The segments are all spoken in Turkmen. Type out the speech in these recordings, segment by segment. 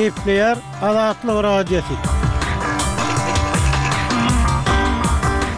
Gepleýär Azatlyk Radiosy.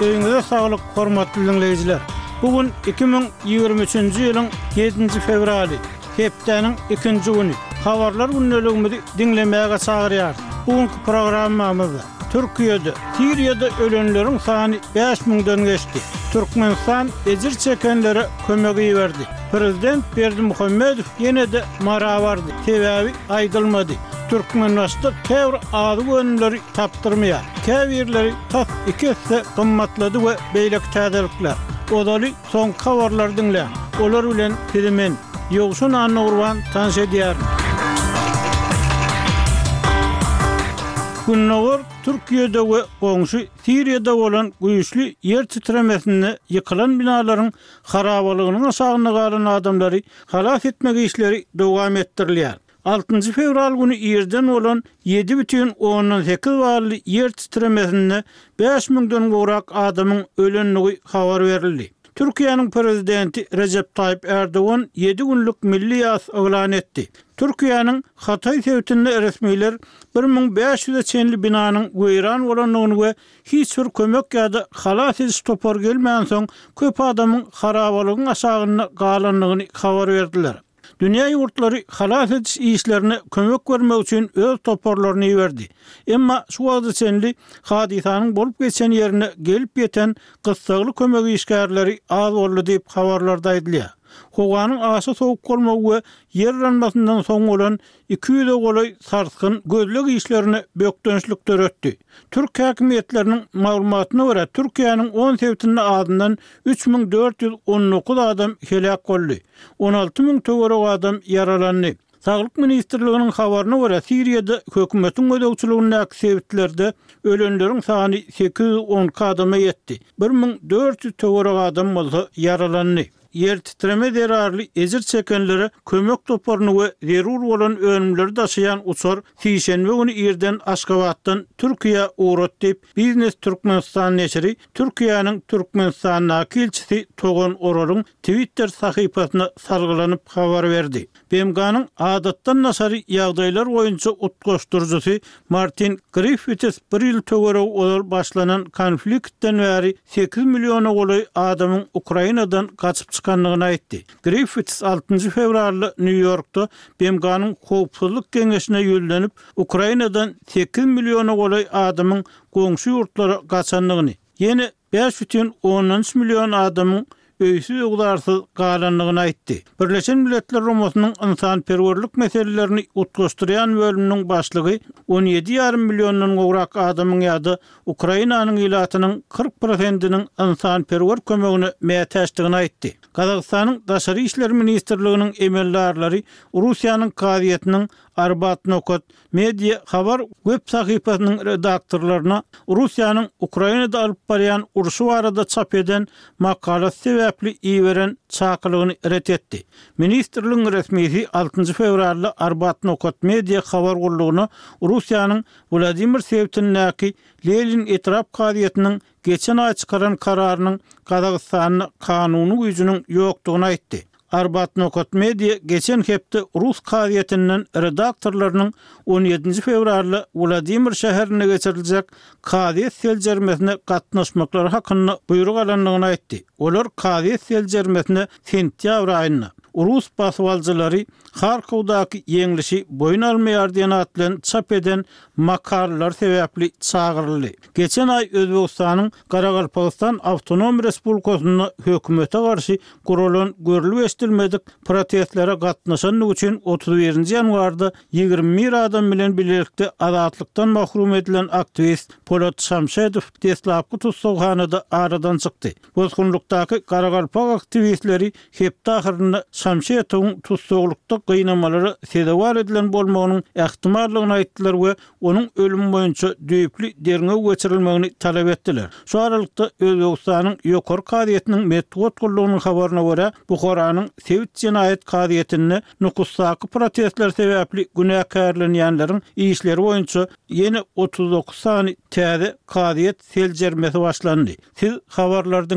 Öýüňize saglyk, hormatly diňleýjiler! Bu gün 2023-nji ýylyň ýedinji fewraly, hepdäniň ikinji güni. Habarlar gündeligimizi diňlemäge çagyrýarys. Bu günki programmamyzda Türkiýede, Siriýada ölenleriň sany bäş müňden geçdi. Türkmenistan ejir çekenlere kömek iberdi. Prezident Berdimuhamedow ýene-de Mara bardy. Sebäbi aýdylmady. Türkmenbaşyda käbir azyk önümleri tapdyrmaýar. Käbirleri tas iki esse gymmatlady we beýleki täzelikler. Ozaly soňky habarlary diňläň. Olar bilen sizi men, Ýowşan Annagurban tanyş edýärin. Gündogar Türkiýede we goňşy Siriýada bolan güýçli ýer titremesinde ýykylan binalaryň harabalygynyň aşagynda galan adamlary halas etmek işleri dowam etdirilýär. Altynjy fewral güni irden bolan 7,8 bally ýer titremesinde bäş müňden gowrak adamyň ölendigi habar berildi. Türkiýäniň Prezidenti Rejep Taýyp Ärdogan ýedi günlük milli ýas yglan etdi. Türkiýäniň Hataý sebitinde resmiler 1500-e çenli binanyň weýran bolandygyny we hiç bir kömek ýa-da halas ediş topary gelmänsoň, köp adamyň harabalygyň aşagynda galandygyny habar berdiler. Dünýä ýurtlary halas ediş işlerine kömek bermek üçin öz toparlaryny iberdi. Emma şu wagta çenli hadysanyň bolup geçen ýerine gelip ýeten gyssagly kömek işgärleri az boldy diýip, habarlarda aýdylýar. Howanyň aşa sowuk bolmagy we ýer yranmasyndan soň bolan 200-e golaý sarsgyn gözleg işlerine bökdençlik döretdi. Türk häkimiýetleriniň maglumatyna görä, Türkiýäniň on sebitinde azyndan 3419 adam heläk boldy, 16 müň töweregi adam ýaralandy. Saglyk ministrliginiň habaryna görä, Siriýada hökümetiň gözegçiligindäki sebitlerde ölenleriň sany 812 adama ýetdi, 1400 töweregi adam bolsa ýaralandy. Ýertitreme zerarly ejir çekenlere kömek toparyny we zerur bolan önümleri daşaýan uçar sişenbe güni irden Aşgabatdan Türkiýä ugrady diýip, Biznes Türkmenistan neşiri Türkiýäniň Türkmenistandaky ilçisi Togan Oralyň Twitter sahypasyna salgylanyp habar berdi. BMG-niň Adatdan daşary ýagdaýlar boýunça utgaşdyryjysy Martin Griffiths bir ýyl töweregi ozal başlanan konfliktden bäri sekiz milliona golaý adamyň Ukrainadan gaçyp çykandygyny aýtdy. Griffiths altynjy fewralda Nýu-Ýorkda BMG-niň Howpsuzlyk Geňeşine ýüzlenip, Ukrainadan sekiz milliona golaý adamyň goňşy ýurtlara gaçandygyny, ýene 5,3 million adamyň öýsüz-öwzarsyz galandygyny aýtdy. Birleşen Milletler Guramasynyň ynsanperwerlik meselelerini utgaşdyrýan bölüminiň başlygy on ýedi ýarym milliondan gowrak adamyň ýa-da Ukrainanyň ilatynyň 40 prosentiniň ynsanperwer kömegine mätäçdigini aýtdy. Gazagystanyň Daşary işler ministrliginiň emeldarlary Russiýanyň kazyýetiniň Arbat nokat Media habar web sahypasynyň redaktorlaryna Russiýanyň Ukrainada alyp barýan urşy barada çap eden makalasy sebäpli iberen çakylygyny ret etdi. Ministrligiň resmisi altynjy fewralda Arbat nokat media habar gullugyna Russiýanyň Wladimir sebitindäki Lenin etrap kazyýetiniň geçen aý çykaran kararynyň Gazagystanda kanuny güýjüniň ýokdugyny aýtdy. Arbat nokat media geçen hepde rus kazyýetinden redaktorlarynyň on ýedinji fewralda Wladimir şäherinde geçiriljek kazyýet seljermesine gatnaşmaklary hakynda buýruk alandygyny aýtdy. Olar kazyýet seljermesine sentýabr aýynda, rus basybalyjylary Harkowdaky ýeňlişi boýun almaýar diýen at bilen çap eden makalalary sebäpli çagyryldy. Geçen aý Özbegistanyň Garagalpagystan Awtonom Respublikasynda hökümete garşy guralan görlüp-eşidilmedik protestlere gatnaşandygy üçin 31 nji ýanwarda 21 adam bilen bilelikde azatlykdan mahrum edilen aktiwist Polat Şamşedow deslapky tussaghanada aradan çykdy. Bosgunlykdaky garagalpak aktiwistleri hepde ahyrynda Şamşetowyň tussaglykda gynamalara sezewar edilen bolmagynyň ähtimallygyny aýtdylar we onuň ölümi boýunça düýpli derňew geçirilmegini talap etdiler. Şu aralykda, Özbegistanyň Ýokary kazyýetiniň metbugat gullugynyň habaryna görä, Buharanyň sebit jenaýat kazyýetinde Nukusdaky protestler sebäpli günäkärlenýänleriň işleri boýunça ýene 39 sany täze kazyýet seljermesi başlandy. Siz habarlary diňläp.